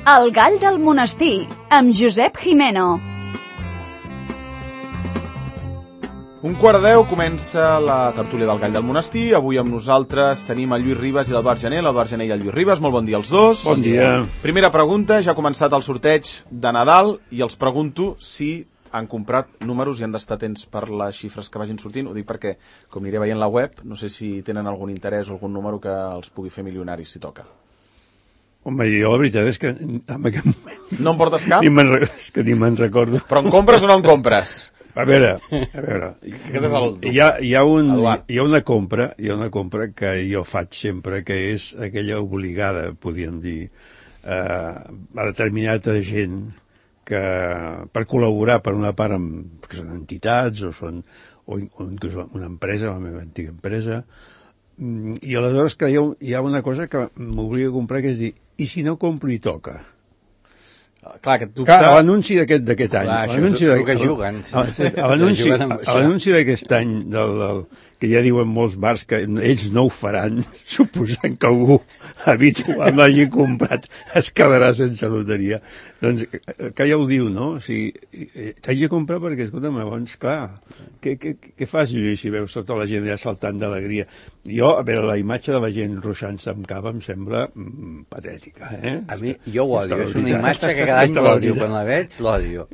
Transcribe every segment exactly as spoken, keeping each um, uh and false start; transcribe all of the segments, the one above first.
El gall del monestir, amb Josep Jimeno. Un quart de deu comença la tertúlia del gall del monestir. Avui amb nosaltres tenim el Lluís Ribas i l'Eduard Gené. L'Eduard Gené i el Lluís Ribas, molt bon dia als dos. Bon dia. Primera pregunta, ja ha començat el sorteig de Nadal i els pregunto si han comprat números i han d'estar atents per les xifres que vagin sortint. Ho dic perquè, com aniré veient la web, no sé si tenen algun interès o algun número que els pugui fer milionaris, si toca. Home, jo la veritat és que en aquest moment... No en portes cap? Ni me'n, és que ni me'n recordo. Però en compres o no en compres? A veure, a veure, Aquest és el... hi ha, hi, ha un, Eduard. hi ha una compra, hi ha una compra que jo faig sempre, que és aquella obligada, podríem dir, eh, a determinada gent que per col·laborar per una part amb, que són entitats o són o, o inclús una empresa, la meva antiga empresa, i aleshores que hi ha, hi ha una cosa que m'obliga a comprar, que és dir, i si no compro i toca? Clar, aquest dubte... Clar, l'anunci d'aquest d'aquest any. Clar, això l'anunci és el de- que juguen. Sí. L'anunci Juguen amb això. l'anunci d'aquest any, del, del, que ja diuen molts bars que ells no ho faran, suposant que algú habitual l'hagi comprat es quedarà sense loteria. Doncs que ja ho diu, no? O sigui, t'haig de comprar perquè, escolta'm, llavors, clar, què, què, què fas, Lluís, si veus tota la gent allà saltant d'alegria? Jo, a veure, la imatge de la gent ruixant-se amb cava em sembla mm, patètica, eh? A mi, jo ho odio, és una Aquesta imatge que cada any Aquesta l'odio, veritat. quan la veig, l'odio.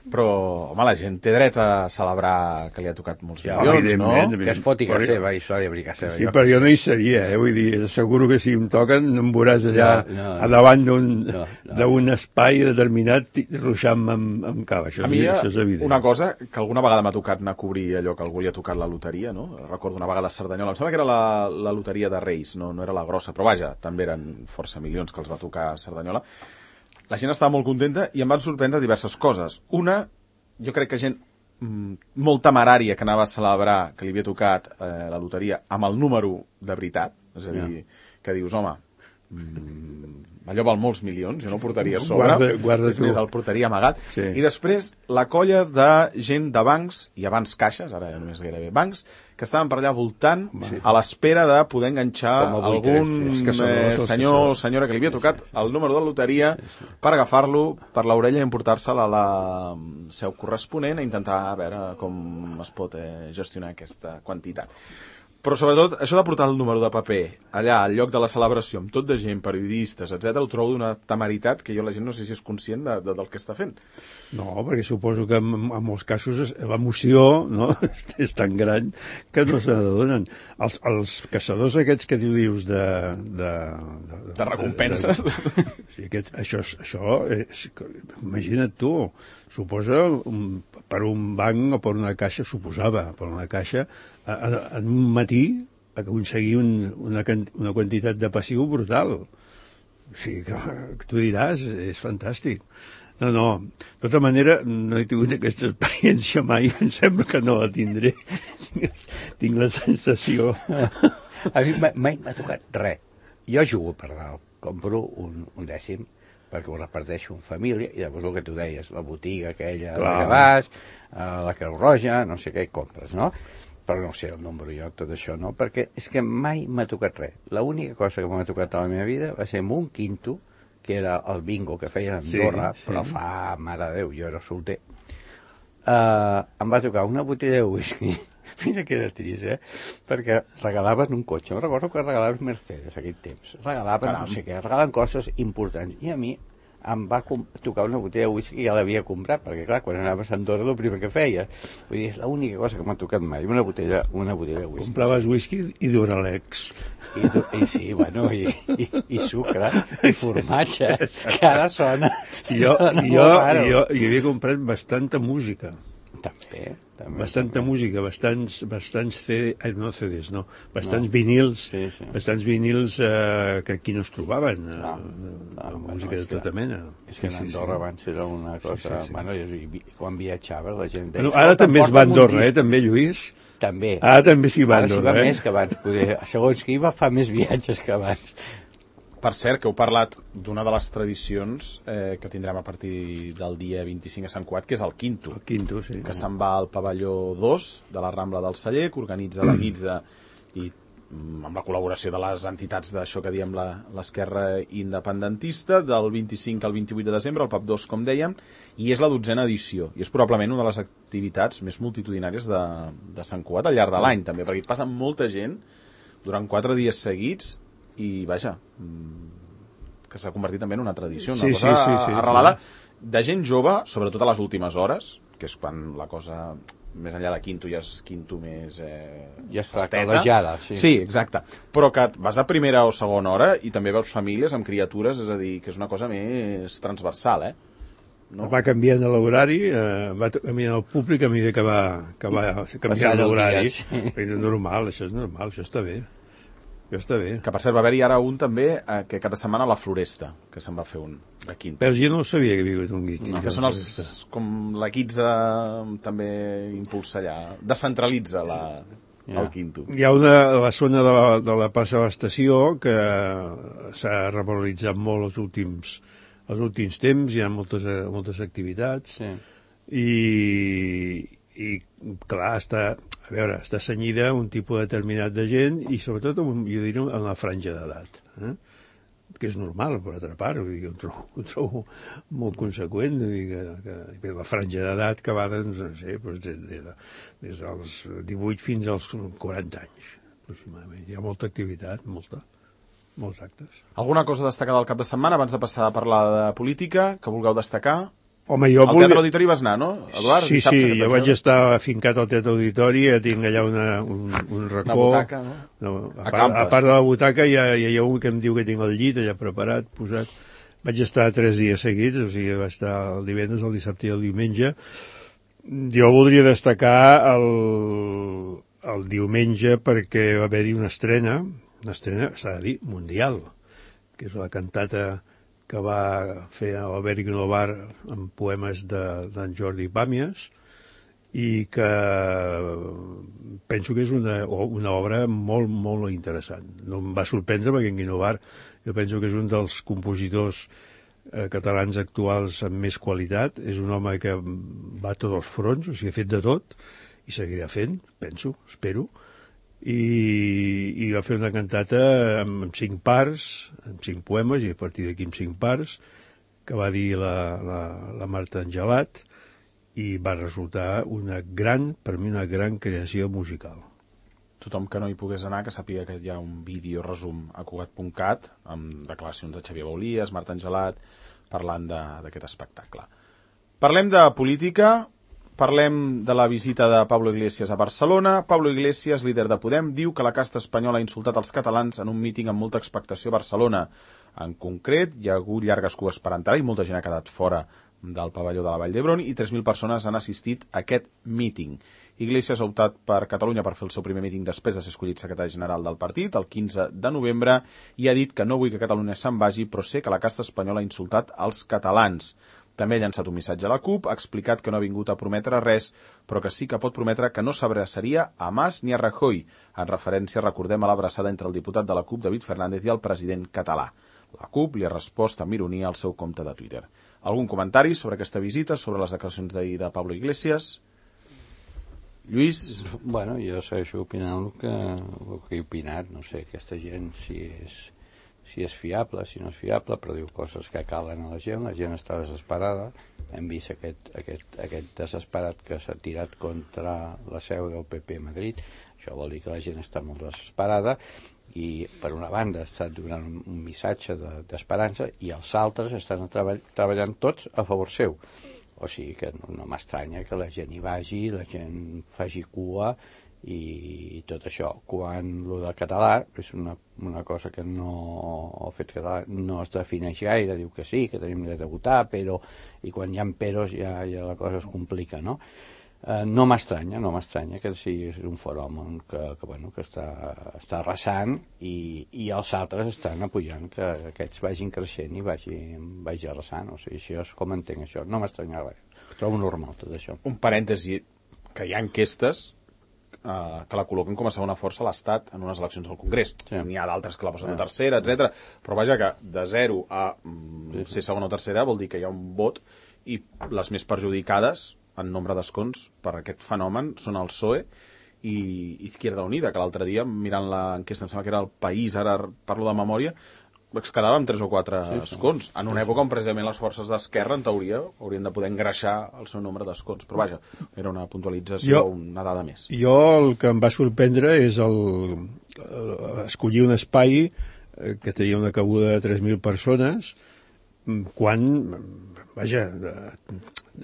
Però, home, la gent té dret a celebrar que li ha tocat molts Ja, milions, no? evidentment. Que es foti Però- que seva història, bricar seva. Sí, però jo no hi seria, eh? Vull dir, asseguro que si em toquen no em veuràs allà No, no, a davant d'un no, no. d'un espai determinat ruixant-me amb, amb cava. Això, A és, mi, això és evident. una cosa, que alguna vegada m'ha tocat anar a cobrir allò que algú li ha tocat la loteria, no? Recordo una vegada a Cerdanyola, em sembla que era la, la loteria de Reis, no, no era la grossa, però vaja, també eren força milions que els va tocar a Cerdanyola. La gent estava molt contenta i em van sorprendre diverses coses. Una, jo crec que gent mm, molt temerària que anava a celebrar que li havia tocat eh, la loteria amb el número de veritat, és a dir, que dius, home, mm, allò val molts milions, jo no el portaria a sobre, Guarda- guarda és més, tu. el portaria amagat. Sí. I després la colla de gent de bancs, i abans caixes, ara ja només gairebé bancs, que estaven per allà voltant sí. a l'espera de poder enganxar Com a buitres, algun sí, els caçadors, eh, els senyor o caçadors. senyora que li havia tocat el número de la loteria per agafar-lo per l'orella i emportar-se'l a la seu corresponent a intentar a veure com es pot eh, gestionar aquesta quantitat. Però sobretot, això de portar el número de paper allà, al lloc de la celebració, amb tot de gent, periodistes, etcètera, ho trobo d'una temeritat que jo la gent no sé si és conscient de, de, del que està fent. No, perquè suposo que en, en molts casos es- l'emoció, no? és tan gran que no se n'adonen. Els, els caçadors aquests que tu dius de... De, de, De recompenses. De, de, sí, aquest, això, és- això és, imagina't tu, suposa un, per un banc o per una caixa, suposava, per una caixa, a, a, en un matí aconseguir un, una, can- una quantitat de passiu brutal. O sigui, que, que tu diràs, és fantàstic. No, no, de tota manera no he tingut aquesta experiència mai, em sembla que no la tindré. Tinc, tinc la sensació... A mi mai, mai m'ha tocat res. Jo jugo per dalt, compro un, un dècim, perquè ho reparteixo en família, i llavors el que tu deies, la botiga aquella Clar. que vas, eh, la Creu Roja, no sé què, compres, no? Però no sé el número jo, tot això, no? Perquè és que mai m'ha tocat res. L'única cosa que m'ha tocat a la meva vida va ser amb un quinto, que era el bingo que feien a Andorra, Sí, sí. però fa, mare de Déu, jo era solter. Uh, em va tocar una botella de whisky. Mira que era trist, eh? Perquè regalaven un cotxe. Em recordo que regalaven Mercedes aquell temps. Regalaven, Caram. no sé què, regalaven coses importants. I a mi em va com- tocar una botella de whisky que ja l'havia comprat, perquè clar, quan anaves a Andorra el primer que feia. Vull dir, és l'única cosa que m'ha tocat mai, una botella, una botella de whisky. Compraves whisky i Duralex. I, du- i sí, bueno, i, i, i sucre, i formatge, que ara sona, Jo, sona jo, molt raro. jo, jo havia comprat bastanta música. També, també. Bastanta música, bastants, bastants C D, eh, no C Ds, no, bastants No. vinils, Sí, sí. bastants vinils eh, que aquí no es trobaven, eh, Clar, de, clar, de bueno, música és de que- tota mena. És que Sí, a sí, Andorra sí. abans era una cosa... Sí, sí, sí. Bueno, i, i, quan viatjaves la gent deia... Bueno, ara "Escolta, també es va a porta'm un Andorra, eh, disc". també, Lluís? També. Ara també s'hi va a Ara s'hi Andorra, va eh? més que abans. Poder, segons qui va, fa més viatges que abans. Per cert, que heu parlat d'una de les tradicions eh, que tindrem a partir del dia vint-i-cinc a Sant Cugat, que és el Quinto, El quinto, sí. que se'n va al pavelló dos de la Rambla del Celler, que organitza la Guitza i amb la col·laboració de les entitats d'això que diem l'esquerra independentista, del vint-i-cinc al vint-i-vuit de desembre, el P A P dos, com dèiem, i és la dotzena edició, i és probablement una de les activitats més multitudinàries de, de Sant Cugat al llarg de l'any, també, perquè hi passa molta gent durant quatre dies seguits, i vaja, que s'ha convertit també en una tradició, una sí, cosa sí, sí, sí, arrelada, sí. de gent jove, sobretot a les últimes hores, que és quan la cosa... més enllà de quinto ja és quinto més eh, ja està festeta. calejada, sí. Sí, exacte. Però que vas a primera o segona hora i també veus famílies amb criatures, és a dir, que és una cosa més transversal, eh? No? Va canviant l'horari, eh, va canviant el públic a mesura que va, que va canviant l'horari. Sí. És normal, això és normal, això està bé. Això està bé. Que per cert va haver-hi ara un també, eh, que cada setmana a la Floresta, que se'n va fer un de quinto. Però jo no sabia que havia hagut un quinto. No, que són els, com l'equips de, també impulsa allà, descentralitza la, ja. el quinto. Hi ha una, la zona de la, de la plaça de l'estació que s'ha revaloritzat molt els últims, els últims temps, hi ha moltes, moltes activitats, sí. i, i clar, està... A veure, està senyida un tipus determinat de gent i sobretot, jo diria, en la franja d'edat, eh? que és normal, per altra part, vull dir, que ho trobo, ho trobo molt conseqüent, vull dir, que, que la franja d'edat que va doncs, no sé, doncs des, des, des dels divuit fins als quaranta anys, aproximadament. Hi ha molta activitat, molta, molts actes. Alguna cosa destacada del cap de setmana, abans de passar a parlar de política, que vulgueu destacar? Home, jo al volia... Teatre Auditori vas anar, no, Eduard? Sí, sí, jo vaig estar afincat al Teatre Auditori, ja tinc allà una, un, un racó. Una butaca, no? no a, part, a part de la butaca hi ha, hi ha un que em diu que tinc el llit allà preparat, posat. Vaig estar tres dies seguits, o sigui, vaig estar el divendres, el dissabte i el diumenge. Jo voldria destacar el, el diumenge perquè va haver-hi una estrena, una estrena, s'ha de dir, mundial, que és la cantata que va fer Albert Guinovar amb poemes d'en de, Jordi Pàmies i que penso que és una, una obra molt, molt interessant. No em va sorprendre perquè en Guinovar jo penso que és un dels compositors eh, catalans actuals amb més qualitat. És un home que va a tots els fronts, o sigui, ha fet de tot i seguirà fent, penso, espero. I, i va fer una cantata amb, amb cinc parts, amb cinc poemes, i a partir d'aquí amb cinc parts, que va dir la, la, la Marta Angelat, i va resultar una gran, per mi una gran creació musical. Tothom que no hi pogués anar, que sàpiga que hi ha un vídeo resum a Cugat punt cat, amb declaracions de Xavier Baulies, Marta Angelat, parlant d'aquest espectacle. Parlem de política. Parlem de la visita de Pablo Iglesias a Barcelona. Pablo Iglesias, líder de Podem, diu que la casta espanyola ha insultat els catalans en un míting amb molta expectació a Barcelona. En concret, hi ha hagut llargues cues per entrar i molta gent ha quedat fora del pavelló de la Vall d'Hebron i tres mil persones han assistit a aquest míting. Iglesias ha optat per Catalunya per fer el seu primer míting després de ser escollit secretari general del partit, el quinze de novembre, i ha dit que no vull que Catalunya se'n vagi, però sé que la casta espanyola ha insultat els catalans. També ha llançat un missatge a la CUP, ha explicat que no ha vingut a prometre res, però que sí que pot prometre que no s'abraçaria a Mas ni a Rajoy, en referència, recordem, a l'abraçada entre el diputat de la CUP, David Fernández, i el president català. La CUP li ha respost amb ironia al seu compte de Twitter. Algun comentari sobre aquesta visita, sobre les declaracions d'ahir de Pablo Iglesias? Lluís? Bueno, jo segueixo opinant el que, el que he opinat, no sé, aquesta gent si és... si és fiable, si no és fiable, però diu coses que calen a la gent, la gent està desesperada, hem vist aquest, aquest, aquest desesperat que s'ha tirat contra la seu del P P a Madrid, això vol dir que la gent està molt desesperada i per una banda està donant un, un missatge d'esperança de, i els altres estan treball, treballant tots a favor seu, o sigui que no, no m'estranya que la gent hi vagi, la gent faci cua i tot això. Quan lo del català és una, una cosa que no el fet català no es defineix gaire, diu que sí, que tenim dret a votar, però i quan hi ha peros ja, ja la cosa es complica, no? Eh, no m'estranya, no m'estranya que sigui un fenomen que, que, bueno, que està, està arrasant i, i els altres estan apoyant que aquests vagin creixent i vagin, vagi arrasant, o sigui, això és com entenc això, no m'estranya res, trobo normal tot això. Un parèntesi, que hi ha enquestes Uh, que la col·loquen com a segona força a l'Estat en unes eleccions al Congrés. Sí. N'hi ha d'altres que la posen a tercera, etcètera. Però vaja que de zero a mm, ser segona o tercera vol dir que hi ha un vot i les més perjudicades en nombre d'escons per aquest fenomen són el P S O E i Izquierda Unida, que l'altre dia, mirant l'enquesta, em sembla que era el País, ara parlo de memòria, es quedava amb tres o quatre sí, sí. escons, en una sí, època on precisament les forces d'esquerra, en teoria, haurien de poder engreixar el seu nombre d'escons. Però vaja, era una puntualització, jo, una dada més. Jo el que em va sorprendre és el, el escollir un espai que tenia una cabuda de tres mil persones, quan, vaja,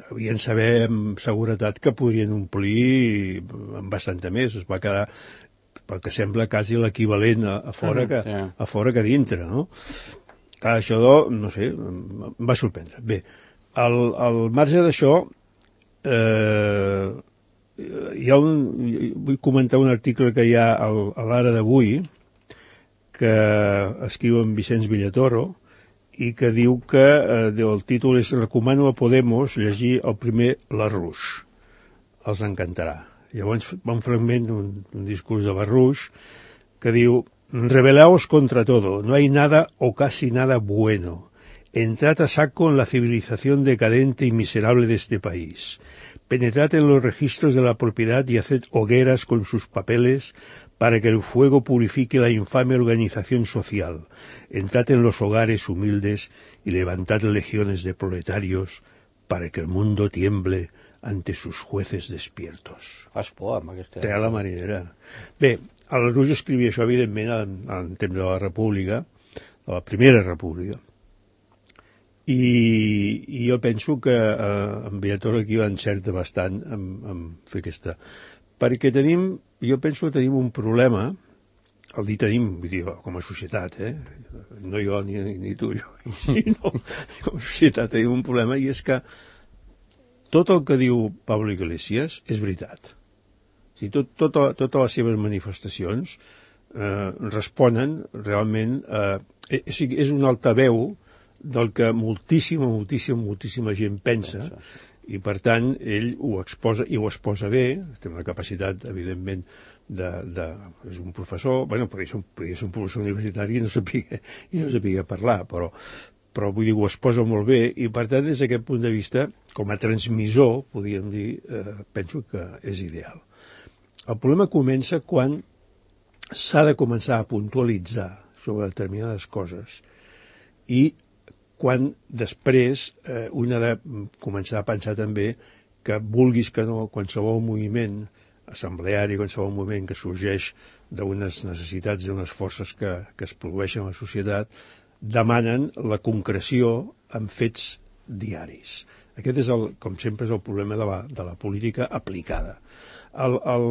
devien saber amb seguretat que podrien omplir amb bastanta més. Es va quedar, perquè sembla quasi l'equivalent a, a, fora que, yeah. a fora que a dintre, no? Clar, això, no sé, em va sorprendre. Bé, al, al marge d'això, eh, hi ha un, vull comentar un article que hi ha al, a l'Ara d'avui, que escriu en Vicenç Villatoro, i que diu que eh, el títol és «Recomano a Podemos llegir el primer Lasrouche». Els encantarà. Llavors va un fragment d'un un discurs de Lasrouche que diu: «Rebelaos contra todo, no hay nada o casi nada bueno. Entrad a saco en la civilización decadente y miserable de este país. Penetrad en los registros de la propiedad y haced hogueras con sus papeles para que el fuego purifique la infame organización social. Entrad en los hogares humildes y levantad legiones de proletarios para que el mundo tiemble ante sus jueces despiertos». Fas por amb aquesta... Té la marinera. Bé, el Lasrouche escrivia això, evidentment, en, en temps de la República, de la Primera República. I, i jo penso que eh, en Villatoro aquí va encertar bastant en, en fer aquesta... Perquè tenim, jo penso que tenim un problema, el dir tenim, vull dir, com a societat, eh? No jo ni, ni tu, jo, no, com a societat tenim un problema, i és que tot el que diu Pablo Iglesias és veritat. O sigui, tot, tot, totes les seves manifestacions eh, responen realment a... Eh, és un altaveu del que moltíssima, moltíssima, moltíssima gent pensa, i per tant ell ho exposa, i ho exposa bé, té una capacitat, evidentment, de, de, és un professor, bueno, perquè és un, perquè és un professor universitari i no sabia, i no sabia parlar, però però vull dir, ho exposa molt bé, i per tant, des d'aquest punt de vista, com a transmissor, podríem dir, eh, penso que és ideal. El problema comença quan s'ha de començar a puntualitzar sobre determinades coses, i quan després eh, un ha de començar a pensar també que vulguis que no, qualsevol moviment assembleari, qualsevol moviment que sorgeix d'unes necessitats, d'unes forces que, que es produeixen a la societat, demanen la concreció en fets diaris. Aquest és, el, com sempre, és el problema de la, de la política aplicada. El, el,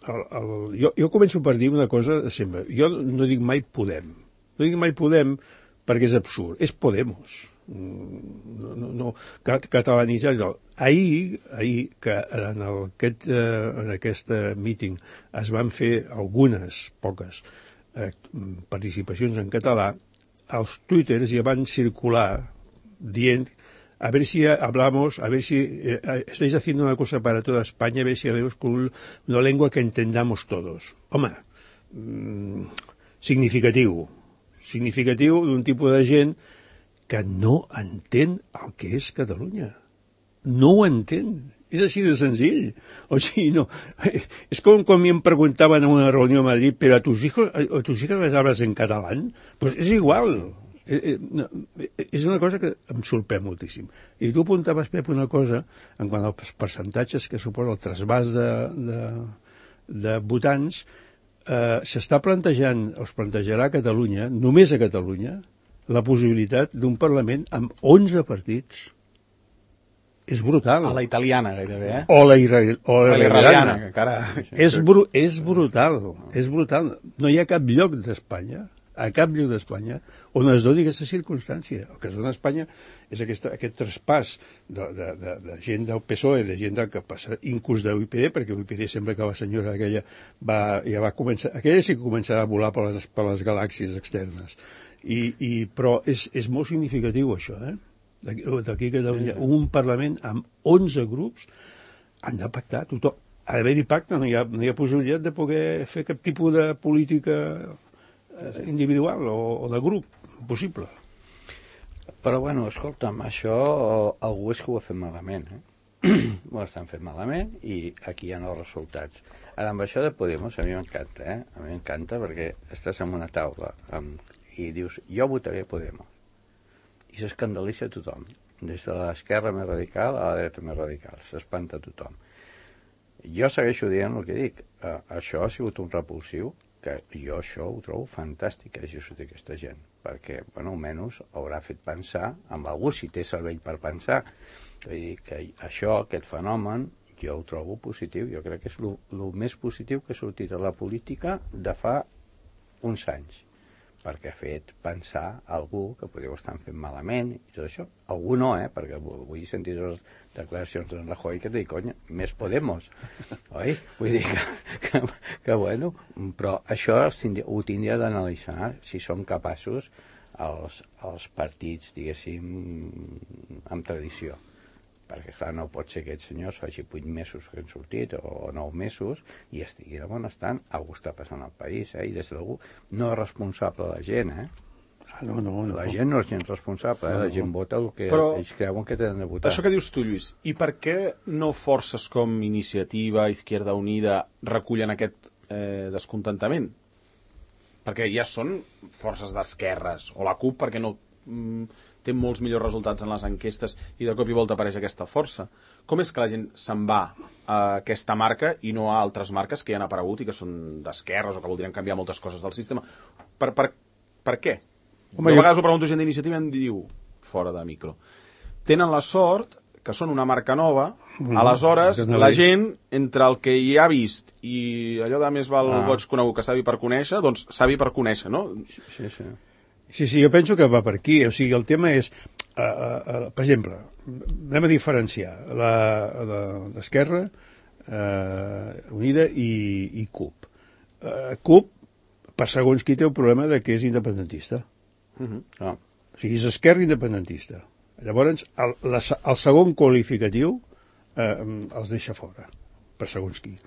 el, el, jo, jo començo per dir una cosa sempre. Jo no dic mai Podem. No dic mai Podem perquè és absurd. És Podemos. No, no, no, catalanitzar. Ahir, ahir que en, el, aquest, en aquest meeting es van fer algunes, poques, eh, participacions en català, els twitters ja van circular dient a ver si hablamos, a ver si eh, estáis haciendo una cosa para toda España, a ver si hablamos con una lengua que entendamos todos. Home, mmm, significatiu. Significatiu d'un tipus de gent que no entén el que és Catalunya. No ho entén. És així de senzill. O sigui, no. És com quan em preguntaven en una reunió a Madrid, però a tus hijos, a tus hijas les hablas en catalán? Pues és igual. Eh, eh, no, és una cosa que em sorprèn moltíssim. I tu apuntaves, Pep, una cosa en quant als percentatges que suposa el trasbàs de, de, de votants, eh, s'està plantejant, o es plantejarà a Catalunya, només a Catalunya, la possibilitat d'un Parlament amb onze partits. És brutal. A la italiana, gairebé, eh? O la, irre... o la, la iraniana, que encara... És, bru... és brutal, és brutal. No hi ha cap lloc d'Espanya, a cap lloc d'Espanya, on es doni aquesta circumstància. El que es dona a Espanya és aquesta, aquest traspàs de, de, de, de gent del P S O E, de gent del que passa, inclús de U I P D, perquè U I P D sembla que la senyora aquella va, ja va començar, aquella sí que començarà a volar per les, per les galàxies externes. I, i, però és, és molt significatiu això, eh? D'aquí a Catalunya, un Parlament amb onze grups han de pactar, tothom. Ha d'haver-hi pacte, no hi, ha, no hi ha possibilitat de poder fer cap tipus de política individual o, o de grup, possible. Però bueno, escolta'm, això algú és que ho ha fet malament, eh? Ho estan fent malament i aquí hi ha els resultats. Ara, amb això de Podemos, a mi m'encanta, eh? A mi m'encanta perquè estàs en una taula amb, i dius, jo votaré Podemos. I s'escandalitza tothom, des de l'esquerra més radical a la dreta més radical. S'espanta tothom. Jo segueixo dient el que dic. Uh, això ha sigut un repulsiu, que jo això ho trobo fantàstic que hagi sortit aquesta gent, perquè, bueno, almenys haurà fet pensar amb algú, si té cervell per pensar. Vull dir que això, aquest fenomen, jo ho trobo positiu. Jo crec que és el més positiu que ha sortit a la política de fa uns anys, perquè ha fet pensar algú que podeu estar fent malament i tot això. Algú no, eh? Perquè vull sentir les declaracions de Rajoy que et dic, conya, més Podemos, oi? Vull dir que, que, que bueno, però això tindria, ho tindria d'analitzar si som capaços els, els partits, diguéssim, amb tradició. Perquè, clar, no pot ser que aquests senyors faci vuit mesos que han sortit o nou mesos i estigui de bon estant. Algú està passant al país, eh? I des d'algú no és responsable la gent, eh? No, no, no. La gent no és gent responsable, eh? La gent vota el que Però ells creuen que tenen de votar. Això que dius tu, Lluís, i per què no forces com Iniciativa, Izquierda Unida recullen aquest eh, descontentament? Perquè ja són forces d'esquerres, o la CUP perquè no mm, té molts millors resultats en les enquestes i de cop i volta apareix aquesta força. Com és que la gent se'n va a aquesta marca i no a altres marques que ja han aparegut i que són d'esquerres o que voldrien canviar moltes coses del sistema? Per, per, per què? Home, jo a vegades ho pregunto gent d'Iniciativa i em diu, fora de micro, tenen la sort que són una marca nova, mm, aleshores la gent, entre el que hi ha vist i allò de més val ah. boig conegut que savi per conèixer, doncs savi per conèixer, no? Sí, sí. Sí, sí, jo penso que va per aquí. O sigui, el tema és, uh, uh, per exemple, anem a diferenciar l'Esquerra, uh, Unida i, i CUP. Uh, CUP, per segons qui té el problema de que és independentista. Uh -huh. Ah. O sigui, és esquerra independentista. Llavors, el, la, el segon qualificatiu eh, els deixa fora, per segons qui.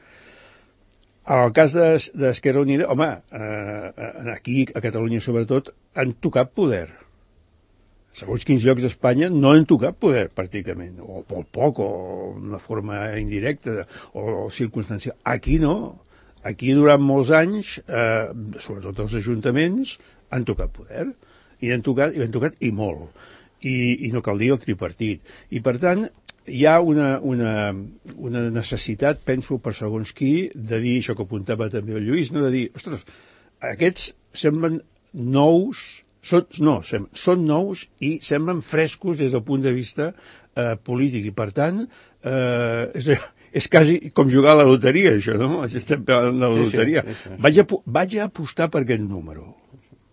En el cas d'Esquerra Unida, home, eh, aquí, a Catalunya sobretot, han tocat poder. Segons quins llocs d'Espanya no han tocat poder, pràcticament, o molt poc, o d'una forma indirecta, o, o circumstancial. Aquí no. Aquí, durant molts anys, eh, sobretot els ajuntaments, han tocat poder. I han tocat, i han tocat i molt. I, i no cal dir el tripartit. I, per tant, hi ha una, una, una necessitat, penso, per segons qui, de dir, això que apuntava també el Lluís, no? De dir, ostres, aquests semblen nous, són, no, sem, són nous i semblen frescos des del punt de vista eh, polític, i per tant, eh, és, és quasi com jugar a la loteria, això, no? Estem parlant de la sí, loteria. Sí, sí, sí. Vaig, a, vaig a apostar per aquest número.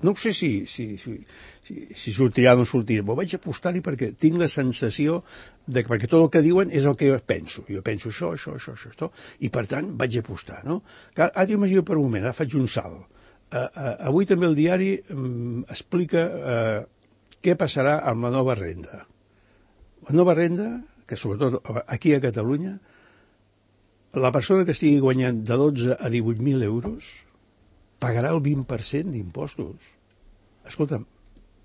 No sé si, si, si, si, si sortirà o no sortirà, però vaig apostar-hi perquè tinc la sensació de que, perquè tot el que diuen és el que jo penso. Jo penso això, això, això, això, això, i per tant vaig apostar, no? Ara t'imagino per un moment, ara faig un salt. Uh, uh, avui també el diari um, explica uh, què passarà amb la nova renda. La nova renda, que sobretot aquí a Catalunya, la persona que estigui guanyant de dotze a divuit mil euros pagarà el vint per cent d'impostos. Escolta'm,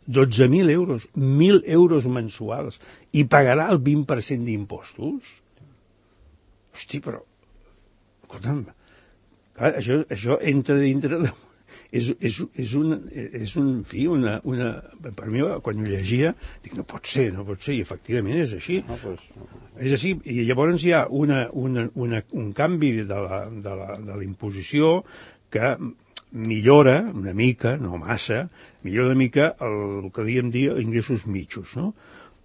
dotze mil euros, mil euros mensuals, i pagarà el vint per cent d'impostos? Hosti, però, escolta'm, clar, això, això entra dintre de... És, és, és, un, és un, en fi, una, una... Per mi, quan ho llegia, dic, no pot ser, no pot ser, i efectivament és així. No, pues... És així, i llavors hi ha una, una, una, un canvi de la, de la, de la imposició que millora una mica, no massa, millora una mica el, el que diem dir ingressos mitjos, no?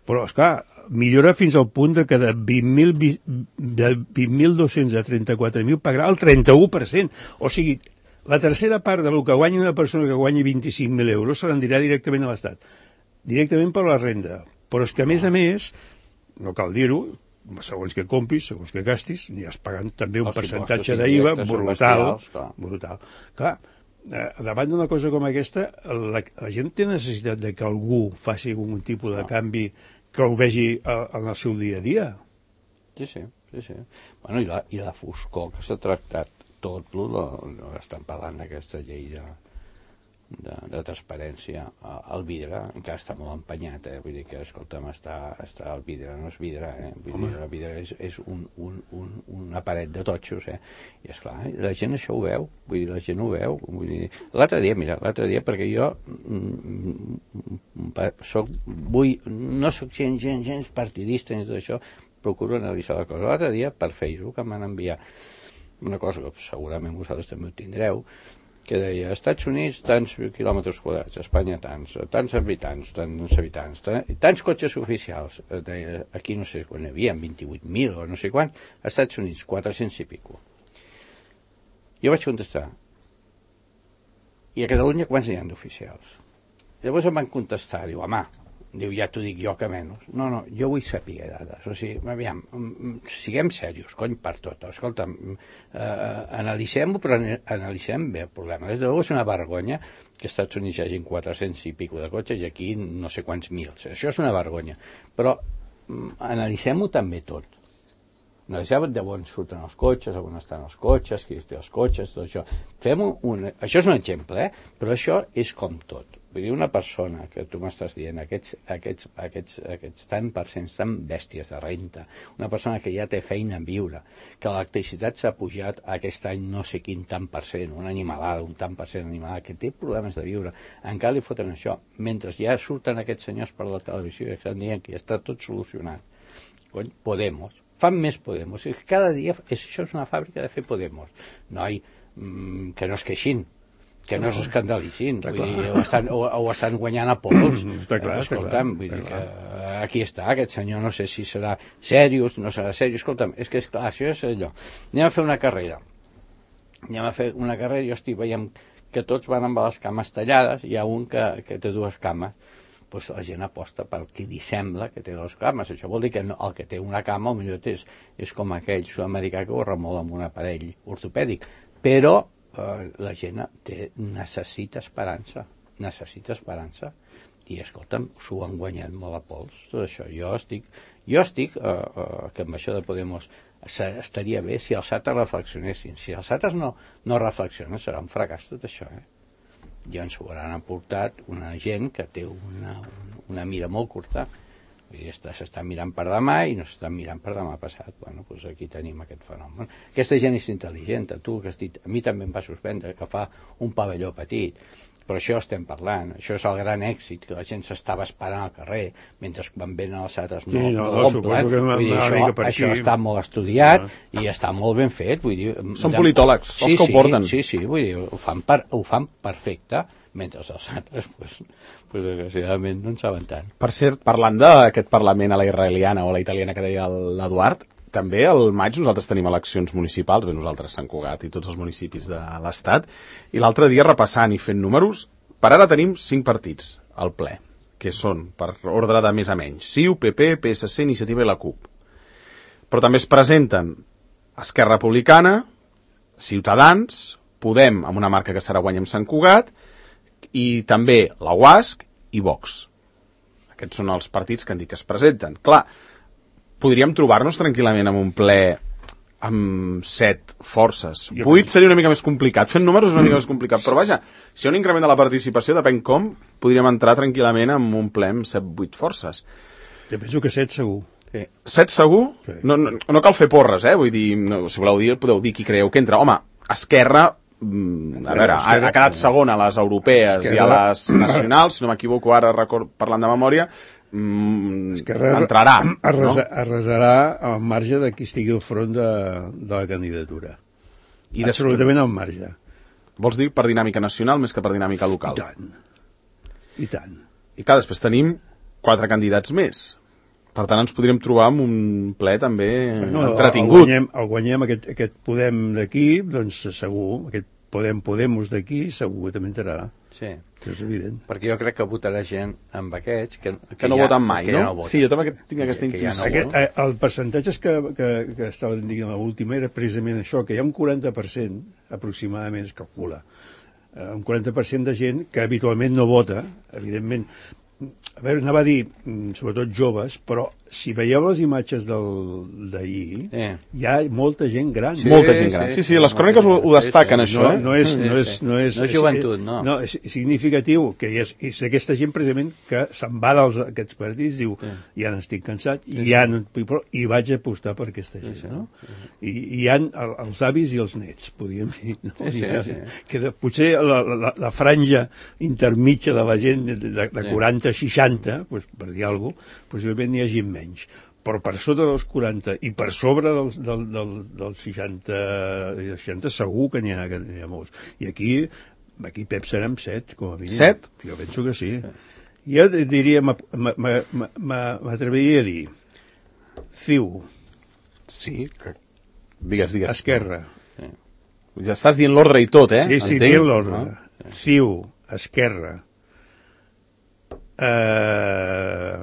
Però, esclar, millora fins al punt de que de vint mil dos-cents a trenta-quatre mil pagarà el trenta-u per cent. O sigui, la tercera part del que guanya una persona que guanyi vint-i-cinc mil euros se l'endirà directament a l'Estat. Directament per la renda. Però és que, a més a més, no cal dir-ho, segons que compris, segons que gastis, aniràs pagant també un els percentatge d'I V A brutal. Clar. brutal. Clar, eh, davant d'una cosa com aquesta, la, la gent té necessitat de que algú faci algun tipus de canvi que ho vegi a, en el seu dia a dia. Sí, sí, sí, sí. Bueno, i la, i la foscor que s'ha tractat tot, lo, lo, lo estan parlant d'aquesta llei de, de, de transparència. El vidre encara està molt empenyat, eh? Vull dir que, escolta'm, està, està el vidre, no és vidre, eh? Vull dir, el vidre és, és un, un, un, una paret de totxos, eh? I esclar, la gent això ho veu, vull dir, la gent ho veu. Vull dir, l'altre dia, mira, l'altre dia, perquè jo mm, soc, vull, no soc gent, gent, gens partidista ni tot això, procuro analitzar la cosa. L'altre dia, per Facebook, em van enviar una cosa que segurament vosaltres també ho tindreu, que deia, Estats Units tants quilòmetres quadrats, Espanya tants, tants habitants, tants habitants, tants, tants cotxes oficials, deia, aquí no sé quan hi havia, vint-i-vuit mil o no sé quant, als Estats Units, quatre-cents i pico. Jo vaig contestar, i a Catalunya quants n'hi ha d'oficials? Llavors em van contestar, diu, home, diu, ja t'ho dic jo que menys. No, no, jo vull saber dades. O sigui, aviam, siguem serios, cony, per tot. Escolta'm, eh, analitzem-ho, però analitzem bé el problema. Des de llavors és una vergonya que als Estats Units hi hagi quatre-cents i pico de cotxes i aquí no sé quants mils. Això és una vergonya. Però analitzem-ho també tot. Analitzem d'on surten els cotxes, on estan els cotxes, qui té els cotxes, tot això. Fem un... Això és un exemple, eh? Però això és com tot. Vull dir, una persona que tu m'estàs dient, aquests, aquests, aquests, aquests tant per cent, tan bèsties de renta, una persona que ja té feina en viure, que l'electricitat s'ha pujat aquest any no sé quin tant per cent, una animalada, un tant per cent animalada, que té problemes de viure, encara li foten això, mentre ja surten aquests senyors per la televisió i estan dient que ja està tot solucionat. Cony, Podemos, fan més Podemos, cada dia, això és una fàbrica de fer Podemos. Noi, mmm, que no es queixin, que no s'escandalitzin, vull dir, o estan, o, o estan guanyant a pols. Està clar, eh, escolta'm, vull està dir clar. que aquí està, aquest senyor, no sé si serà seriós, no serà seriós, escolta'm, és que és clar, això és allò. Anem a fer una carrera, anem a fer una carrera, jo estic veient que tots van amb les cames tallades, hi ha un que, que té dues cames, doncs la gent aposta per qui li sembla que té dues cames. Això vol dir que no, el que té una cama, o millor és, és com aquell sud-americà que ho remol amb un aparell ortopèdic, però Uh, la gent té, necessita esperança, necessita esperança, i escolta'm, s'ho han guanyat molt a pols, tot això. Jo estic, jo estic uh, uh, que amb això de Podemos estaria bé si els altres reflexionessin. Si els altres no, no reflexionen, serà un fracàs tot això, eh? Ja ens ho hauran aportat una gent que té una, una mira molt curta, s'està mirant per demà i no s'està mirant per demà passat. Bueno, doncs aquí tenim aquest fenomen. Aquesta gent és intel·ligent, a tu que has dit, a mi també em va suspendre que fa un pavelló petit, però això estem parlant, això és el gran èxit, que la gent s'estava esperant al carrer, mentre quan venen els altres no, sí, no, no l'omplen. Vull dir, això, això està molt estudiat no. I està molt ben fet. Vull dir, són politòlegs, sí, els que sí, ho porten. Sí, sí, vull dir, ho fan, per, ho fan perfecte, mentre els altres, pues, pues, desgraciadament, no en saben tant. Per cert, parlant d'aquest Parlament a la israeliana o a la italiana que deia l'Eduard, també al maig nosaltres tenim eleccions municipals, bé, nosaltres Sant Cugat i tots els municipis de l'Estat, i l'altre dia repassant i fent números, per ara tenim cinc partits al ple, que són, per ordre de més a menys, C I U, P P, P S C, Iniciativa i la CUP. Però també es presenten Esquerra Republicana, Ciutadans, Podem, amb una marca que serà Guanyem Sant Cugat, i també la U A S C i Vox. Aquests són els partits que han dit que es presenten. Clar, podríem trobar-nos tranquil·lament en un ple amb set forces. Vuit seria una mica més complicat. Fent números és una mica més complicat. Però vaja, si hi ha un increment de la participació, depèn com, podríem entrar tranquil·lament en un ple amb set, vuit forces. Jo penso que set segur. Sí. Set segur? Sí. No, no, no cal fer porres, eh? Vull dir, no, si voleu dir, podeu dir qui creieu que entra. Home, Esquerra, a veure, ha, ha quedat segona a les europees Esquerra. I a les nacionals, si no m'equivoco ara record, parlant de memòria, mm, entrarà. Arrasa, no? Arrasarà al marge de qui estigui al front de, de la candidatura. I absolutament al marge. Vols dir per dinàmica nacional més que per dinàmica local? I tant. I tant. I clar, després tenim quatre candidats més. Per tant, ens podríem trobar amb un ple també no, entretingut. El guanyem, el guanyem aquest, aquest Podem d'aquí, doncs segur, aquest Podem Podemos d'aquí, segur que també entrarà. Sí. Això és evident. Perquè jo crec que votarà gent amb aquests que, que, que no ja, voten mai, no? no voten. Sí, jo també tinc aquesta intuïció. Ja no aquest, no? El percentatge que, que, que estaven dient a l'última era precisament això, que hi ha un quaranta per cent aproximadament, es calcula, un quaranta per cent de gent que habitualment no vota, evidentment. A veure, anava a dir, sobretot joves, però si veieu les imatges del- d'ahir, Eh. hi ha molta gent gran. Sí, Molta gent gran. Sí, sí, les cròniques ho, ho destaquen, No, això, eh? no és, Sí, no és, sí. no és, No és joventut, no. No, és significatiu que és, és aquesta gent precisament que se'n va dels aquests partits, diu, Sí. ja n'estic cansat, i ja no, i vaig apostar per aquesta gent, sí, no? I, i hi ha el, els avis i els nets, podríem dir, no? Sí, sí, Hi ha- sí. Que de, potser la, la, la franja intermitja de la gent de, de, de Sí. quaranta a seixanta, pues, per dir alguna cosa, possiblement n'hi hagi menys, però per sota dels quaranta i per sobre dels, del, del, dels seixanta, seixanta segur que n'hi ha, que n'hi ha molts. I aquí, aquí Pep serem set, com a mínim. Set? Jo penso que sí. Jo diria, m'atreviria a dir, C I U, Sí, que... Digues, digues. Esquerra. Ja estàs dient l'ordre i tot, eh? Sí, sí, Entenc? dient l'ordre. Ah. C I U, Esquerra. Eh...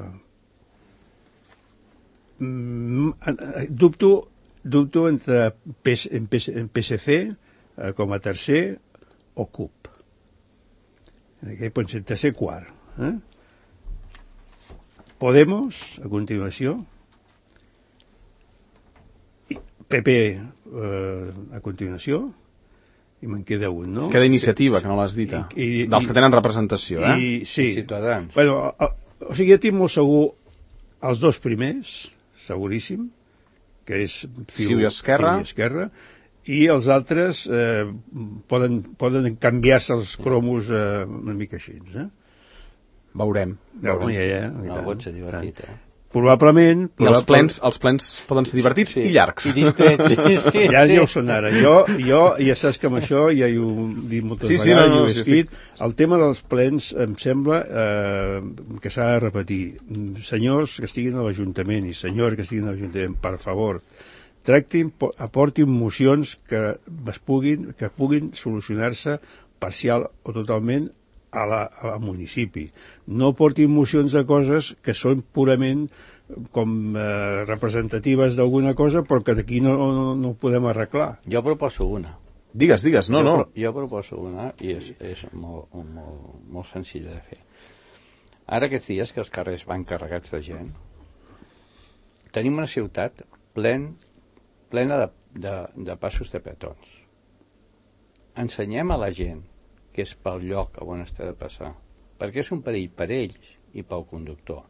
Mm, eh, dubto, dubto entre P S, en P S, en P S C eh, com a tercer o C U P. Aquí pot ser tercer quart. Eh? Podemos, a continuació. I P P eh, a continuació. I me'n queda un, no? Queda iniciativa, que no l'has dit. I- i- Dels que tenen representació, eh? I, sí. I Ciutadans. Bueno, o, o sigui, jo tinc molt segur els dos primers, seguríssim, que és C I U i Esquerra. C I U i Esquerra, i els altres eh, poden, poden canviar-se els cromos eh, una mica així, eh? Veurem. Ja, veurem. ja, ja, No, ja, pot ser divertit, eh? Probablement... I els plens, els plens poden ser divertits i llargs. I distrets, sí, sí. Ja, ja ho són ara. Jo, jo, ja saps que amb això ja hi ho he dit moltes Sí, sí, vegades, no, no, i ho he sí, escrit. El tema dels plens em sembla eh, que s'ha de repetir. Senyors que estiguin a l'Ajuntament i senyors que estiguin a l'Ajuntament, per favor, tractin, po- aportin mocions que es puguin, que puguin solucionar-se parcial o totalment a la, a la municipi. No portin mocions de coses que són purament com eh, representatives d'alguna cosa, però que d'aquí no, no, no ho podem arreglar. Jo proposo una. Digues, digues, no, jo, no. pro- Jo proposo una i és, és molt, molt, molt senzilla de fer. Ara aquests dies que els carrers van carregats de gent, tenim una ciutat plen, plena de, de, de passos de petons. Ensenyem a la gent que és pel lloc on està de passar, perquè és un perill per ells i pel conductor.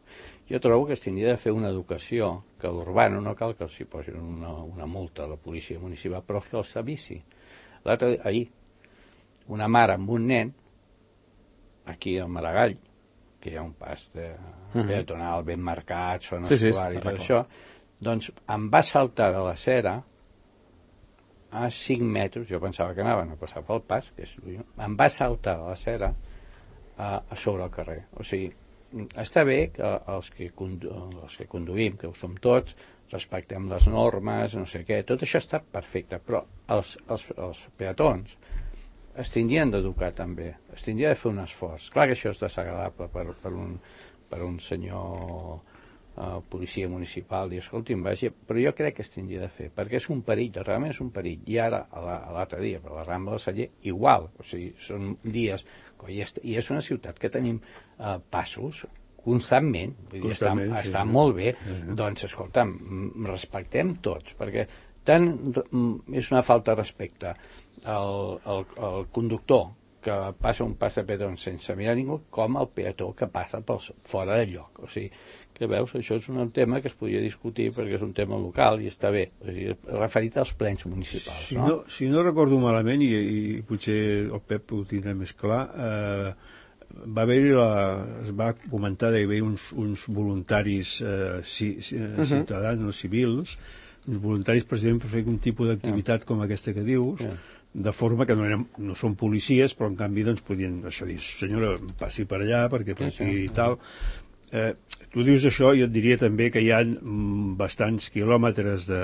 Jo trobo que es tindria de fer una educació, que a l'urbano no cal que els hi posin una, una multa a la policia municipal, però que els avisi. L'altre ahir, una mare amb un nen, aquí al Maragall, que hi ha un pas de peatonal ben marcat, zona Sí, sí, escolar i està tot clar. això, doncs em va saltar de la cera a cinc metres, jo pensava que anaven a passar pel pas, que és lluny, em va saltar de la cera a, a sobre el carrer. O sigui, està bé que els que, condu els que conduïm, que ho som tots, respectem les normes, no sé què, tot això està perfecte, però els, els, els peatons es tindrien d'educar també, es tindria de fer un esforç. Clar que això és desagradable per, per, un, per un senyor uh, policia municipal, i escolti'm, vagi, però jo crec que es tindria de fer, perquè és un perill, realment és un perill. I ara, a l'altre dia, per la Rambla del Celler, igual, o sigui, són dies, i és, i és una ciutat que tenim uh, passos constantment, vull dir, està, Constantment, sí, està sí. molt bé, doncs, escolta'm, mm, respectem tots, perquè tant mm, és una falta de respecte al, al, al conductor que passa un pas de peatons sense mirar ningú, com el peató que passa pels, fora de lloc. O sigui, que veus, això és un tema que es podria discutir perquè és un tema local i està bé, o sigui, referit als plens municipals. Si no? no, si no recordo malament, i, i potser el Pep ho tindrà més clar, eh, va haver-hi la, es va comentar que hi havia uns, uns voluntaris eh, ci, ci, uh -huh. ciutadans, no civils, uns voluntaris precisament per fer un tipus d'activitat yeah. com aquesta que dius, yeah. de forma que no, eren, no són policies, però en canvi doncs podien això dir, senyora, passi per allà perquè per Sí, aquí sí. i tal. Eh, tu dius això, jo et diria també que hi ha mm, bastants quilòmetres de,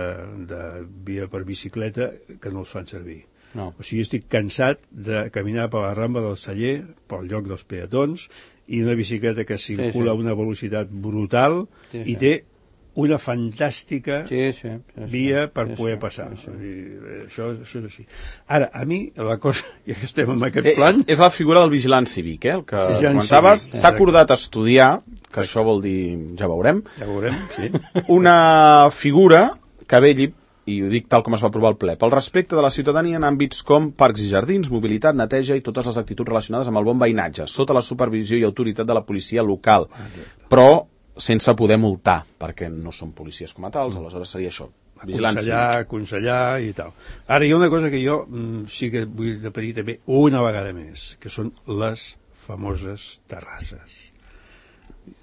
de via per bicicleta que no els fan servir. No. O sigui, estic cansat de caminar per la Rambla del Celler, pel lloc dels peatons, i una bicicleta que circula sí. a una velocitat brutal Sí, i sí. té una fantàstica Sí, sí, sí, via sí, per sí, poder sí, passar. sí, sí. I, eh, això, això és així. Ara, a mi, la cosa, ja que estem en aquest Eh, plan... és la figura del vigilant cívic, eh, el que Vigilant comentaves. cívic, S'ha exacte. acordat estudiar que això vol dir, ja veurem. Ja veurem, sí. Una figura que velli, i ho dic tal com es va aprovar al ple, pel respecte de la ciutadania en àmbits com parcs i jardins, mobilitat, neteja i totes les actituds relacionades amb el bon veïnatge, sota la supervisió i autoritat de la policia local, però sense poder multar, perquè no són policies com a tals, aleshores seria això, vigilància. Aconsellar, aconsellar i tal. Ara hi ha una cosa que jo mm, sí que vull repetir també una vegada més, que són les famoses terrasses.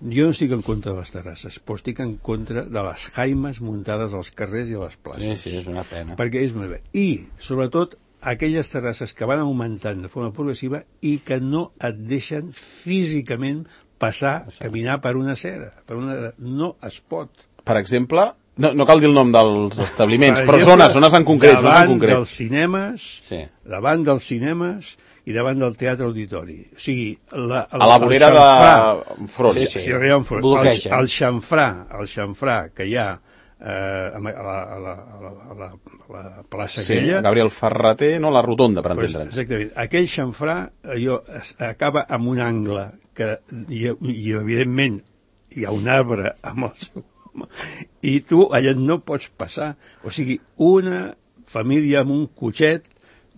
Jo no estic en contra de les terrasses, però estic en contra de les jaimes muntades als carrers i a les places. Sí, sí, és una pena. Perquè és molt bé. I, sobretot, aquelles terrasses que van augmentant de forma progressiva i que no et deixen físicament passar, caminar per una acera. Per una... No es pot. Per exemple, no, no cal dir el nom dels establiments, Per però exemple, zones, zones en concret. Zones en davant concret. dels cinemes, Sí. davant dels cinemes i davant del teatre auditori. O sigui, la, A la vorera de Frons. Sí, sí. Sí, arriba en front. El, Bolqueja. el xamfrà, el xamfrà que hi ha eh, a, la, a, la, a, la, a, la, a la plaça Sí, aquella... Gabriel Ferrater, no, la rotonda, per Pues, entendre'ns. exactament. Aquell xamfrà allò, es, acaba amb un angle que, i, i evidentment, hi ha un arbre amb el seu... I tu allà no pots passar. O sigui, una família amb un cotxet,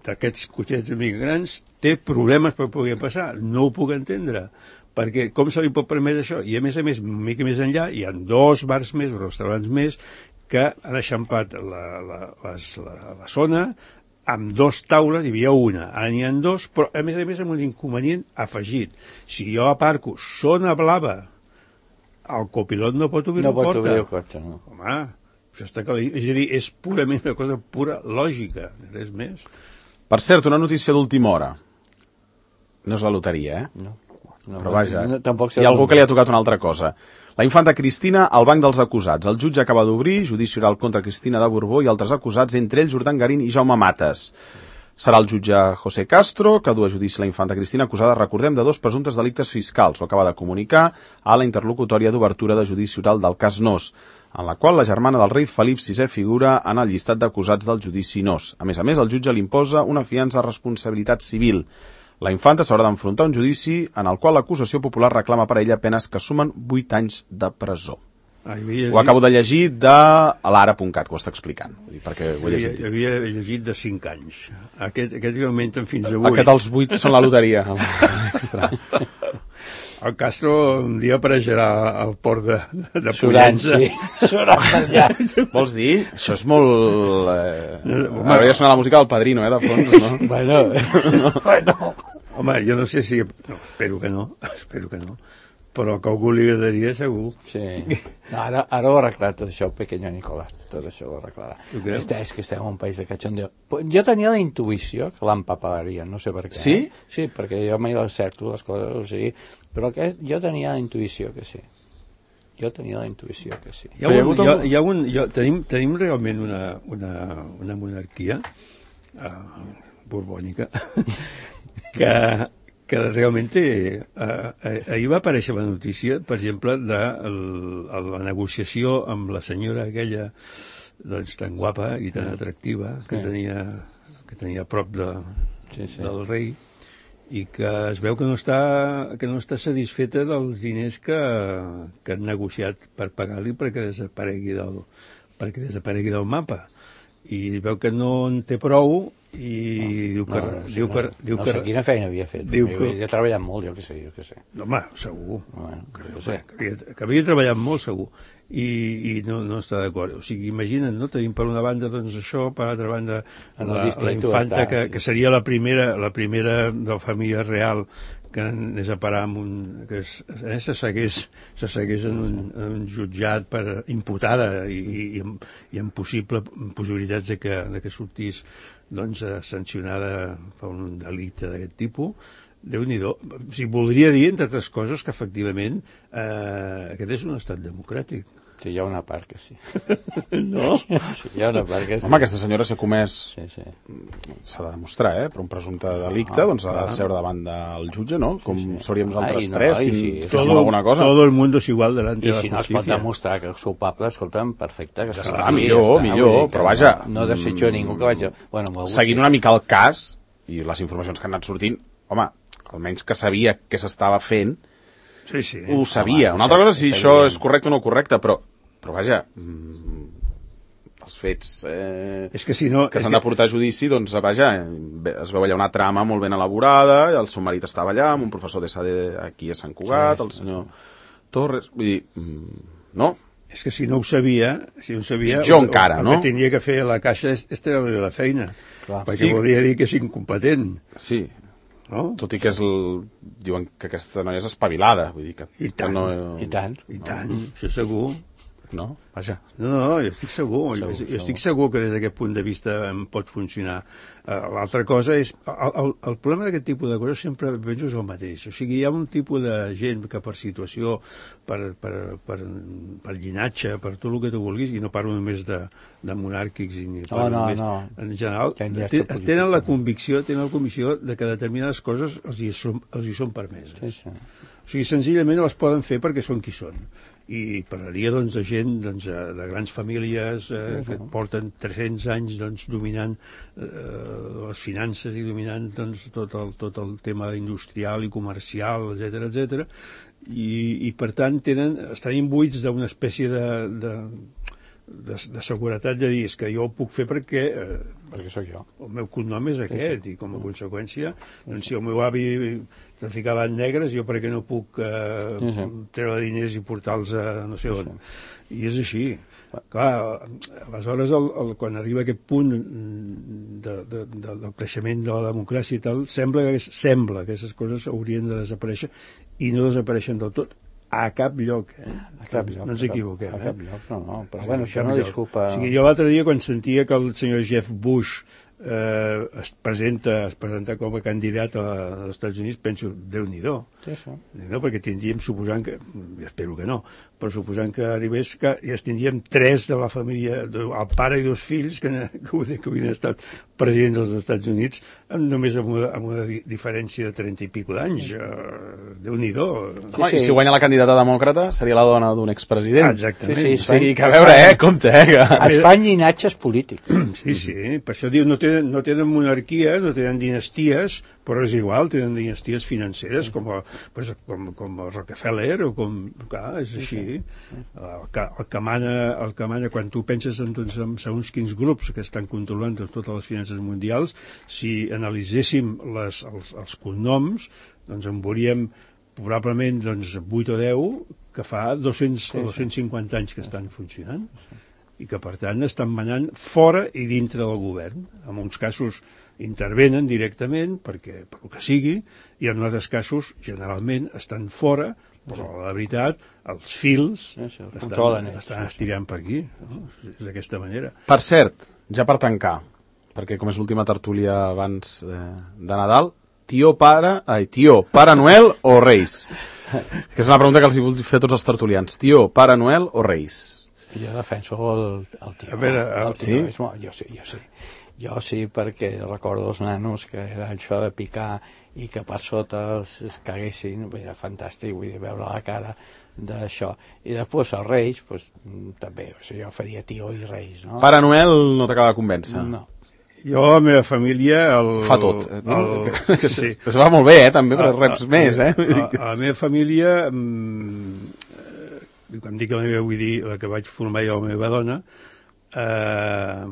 d'aquests cotxets una mica grans, té problemes per poder passar. No ho puc entendre. Perquè com se li pot permetre això? I a més a més, una mica més enllà, hi ha dos bars més, restaurants més, que han eixampat la, la, les, la, la zona amb dos taules, hi havia una, ara n'hi ha dos, però a més a més amb un inconvenient afegit. Si jo aparco zona blava, el copilot no pot obrir No la pot porta. obrir el cotxe, no. Home, això està clar. És a dir, és purament una cosa pura lògica, res més. Per cert, una notícia d'última hora. No és la loteria, eh? No. No, Però vaja, no, tampoc hi ha algú que li ha tocat una altra cosa. La infanta Cristina al banc dels acusats. El jutge acaba d'obrir judici oral contra Cristina de Borbó i altres acusats, entre ells Urdangarín i Jaume Mates. Serà el jutge José Castro que du a judici la infanta Cristina acusada, recordem, de dos presumptes delictes fiscals. Ho acaba de comunicar a la interlocutòria d'obertura de judici oral del cas Nos, en la qual la germana del rei Felip sisè figura en el llistat d'acusats del judici Nos. A més a més, el jutge li imposa una fiança a responsabilitat civil. La infanta s'haurà d'enfrontar a un judici en el qual l'acusació popular reclama per a ella penes que sumen vuit anys de presó. Ah, havia Ho acabo de llegir de l'ara punt cat, que ho està explicant, vull dir, perquè ho he havia, llegit. havia llegit de cinc anys. Aquest, aquest que augmenten fins a vuit. Aquest els vuit són la loteria. Extra. El Castro un dia apareixerà al port de, de Surant, Pollença. sí. Surant per allà. Vols dir? Això és molt... Eh... Hauria de sonar la música del Padrino, eh, de fons, no? Bueno, no. bueno. Home, jo no sé si... No, espero que no, espero que no. Però que algú li agradaria, segur. Sí. No, ara, ara ho ha arreglat tot això el pequeño Nicolás. Tot això ho arreglarà. Tu creus? Este, és que estem en un país de cachondeo. Jo tenia la intuïció que l'empapalaria, no sé per què. Sí? Eh? Sí, perquè jo mai les certo, les coses, o sigui, però que jo tenia la intuïció que sí. Jo tenia la intuïció que sí. Hi ha un, hi ha, hi ha un, hi ha, tenim, tenim realment una, una, una monarquia uh, borbònica que, que realment té... Uh, ahir va aparèixer la notícia, per exemple, de el, la negociació amb la senyora aquella doncs, tan guapa i tan atractiva que, Sí. tenia, que tenia a prop de, Sí, sí. del rei, i que es veu que no està, que no està satisfeta dels diners que, que han negociat per pagar-li perquè desaparegui del, perquè desaparegui del mapa. I veu que no en té prou i no, diu que... No, no, diu no, que, no, diu no que sé quina feina havia fet. diu que- Havia treballat molt, jo que sé, jo que sé. no, home, segur. Bueno, Que, no sé. que, havia, que havia treballat molt, segur. I, i no, no està d'acord. O sigui, imagina't, no? Tenim per una banda doncs això, per l'altra banda En el la, la distrito infanta està, que, sí. que seria la primera, la primera de la família real que anés a parar amb un... que es, eh, se segueix, se segueix en, un, en un jutjat per imputada i, i, i, amb, i amb possible, possibilitats de que, de que sortís doncs, eh, sancionada per un delicte d'aquest tipus. Déu-n'hi-do. O sigui, voldria dir, entre altres coses, que efectivament eh, aquest és un estat democràtic. Sí, hi ha una part que sí. No? Sí, hi ha una part que sí. Home, aquesta senyora s'ha comès, Sí, sí. s'ha de demostrar, eh, per un presumpte delicte, doncs ha de seure davant del jutge, no? Com seuríem nosaltres Ai, no, tres, ai, si sí. féssim alguna cosa. Todo el mundo es igual delante I de la si no es pot justicia. demostrar que és culpable, escolta'm, perfecte. Que Ja es està, retiri, millor, ja està. millor, Vull dir que però vaja, No, no desitjo mm, ningú que vagi... Bueno, amb algú Seguint sí. una mica el cas, i les informacions que han anat sortint, home, almenys que sabia què s'estava fent, Sí, sí. ho sabia. Una altra cosa si això és correcte o no correcte, però, però vaja, mm, els fets eh, és que, si no, que s'han que... de portar a judici, doncs, vaja, es veu allà una trama molt ben elaborada, el seu marit estava allà, amb un professor de S A D aquí a Sant Cugat, sí, sí, el senyor Torres, vull dir, mm, no? És que si no ho sabia, si no ho sabia, jo encara, el, no? El que tenia que fer a la caixa és, és treure la feina, clar, perquè sí. Volia dir que és incompetent. Sí, no? Tot i que és el... diuen que aquesta noia és espavilada, vull dir que... I tant, que no... i tant, i tant, no? Això segur. No? Vaja. No, no, jo estic segur, segur, jo, jo estic segur que des d'aquest punt de vista em pot funcionar. Uh, L'altra cosa és, el, el, el problema d'aquest tipus de coses sempre penso és el mateix. O sigui, hi ha un tipus de gent que per situació, per, per, per, per llinatge, per tot el que tu vulguis, i no parlo només de, de monàrquics, ni no, no, només, no. en general, ten, tenen la convicció, tenen la convicció de que determinades coses els hi són, els hi són permeses. Sí, sí. O sigui, senzillament les poden fer perquè són qui són. I parlaria doncs, de gent doncs, de grans famílies eh, que porten tres-cents anys doncs, dominant eh, les finances i dominant doncs, tot, el, tot el tema industrial i comercial, etcètera, etcètera, i, i per tant tenen, estan imbuïts d'una espècie de, de, de, de seguretat de dir és que jo ho puc fer perquè, eh, perquè sóc jo. El meu cognom és aquest, sí, sí. I com a conseqüència, doncs, si el meu avi traficava en negres, jo per què no puc eh, sí, sí. treure diners i portar-los a no sé on. Sí. I és així. Clar, aleshores, el, el, quan arriba aquest punt de, de, de, del creixement de la democràcia i tal, sembla que, sembla que aquestes coses haurien de desaparèixer i no desapareixen del tot. A cap lloc, eh? A cap lloc. No ens equivoquem, eh? A cap lloc, no, no. Però a bueno, això no disculpa... O sigui, jo l'altre dia, quan sentia que el senyor Jeff Bush eh, es presenta es presenta com a candidat a, als Estats Units, penso, Déu-n'hi-do. Sí, sí. No, perquè tindríem, suposant que, espero que no, però suposant que arribés, que ja tindríem tres de la família, el pare i dos fills que, que, que haurien estat presidents dels Estats Units, amb, només amb una, amb una diferència de trenta i pico d'anys. Uh, Déu-n'hi-do. Sí, sí. I si guanya la candidata demòcrata seria la dona d'un expresident. Ah, exactament. Sí, sí, o sigui, que a veure, eh, compte, eh. Que... Es fan llinatges polítics. Sí, sí, per això diu, no tenen, no tenen monarquia, no tenen dinasties, però és igual, tenen dinasties financeres, com, a, pues, com, com el Rockefeller, o com... Clar, és així. El que, el que mana, el que mana, quan tu penses en, doncs, en segons quins grups que estan controlant doncs, totes les finances mundials, si analitzéssim les, els, els cognoms, doncs en veuríem probablement doncs, vuit o deu que fa dos-cents o dos-cents cinquanta anys que estan funcionant i que per tant estan manant fora i dintre del govern. En uns casos intervenen directament perquè, per el que sigui, i en altres casos generalment estan fora, però la veritat els fils sí, sí, els estan, estan estirant per aquí, no? És d'aquesta manera. Per cert, ja per tancar, perquè com és l'última tertúlia abans eh, de Nadal, tió pare, ai, tió, Pare Noel o Reis? Que és una pregunta que els hi vull fer a tots els tertulians. Tió, Pare Noel o Reis? Jo defenso el, el tió. A veure, el, el tió, sí? És molt, jo sí, jo sí. Jo sí, perquè recordo els nanos que era això de picar i que per sota es, es caguessin, era fantàstic, vull dir, veure la cara d'això. I després els Reis, pues, també, o sigui, jo faria tió i Reis, no? Pare Noel no t'acaba de convèncer? No. Jo, a la meva família... El, fa tot, no? El, que sí. Es va molt bé, eh, també, però reps a, més, eh? A, a la meva família... Mmm, quan dic la meva, vull dir la que vaig formar jo, la meva dona, eh,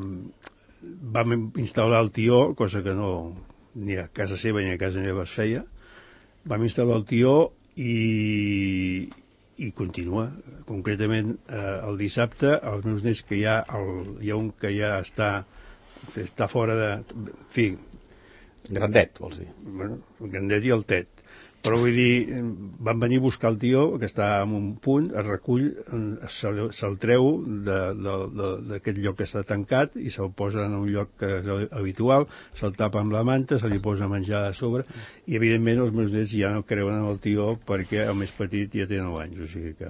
vam instal·lar el tió, cosa que no ni a casa seva ni a casa meva es feia, vam instal·lar el tió i, i continua. Concretament, eh, el dissabte, els meus nets, que hi ha, el, hi ha un que ja està, està fora de... En fi... Grandet, vols dir? Bueno, el grandet i el tet. Però vull dir, van venir a buscar el tió, que està en un punt, es recull, se'l se treu d'aquest lloc que està tancat i se'l posa en un lloc que és habitual, se'l tapa amb la manta, se li posa menjar a sobre, i evidentment els meus nets ja no creuen en el tió perquè el més petit ja té nou anys, o sigui que...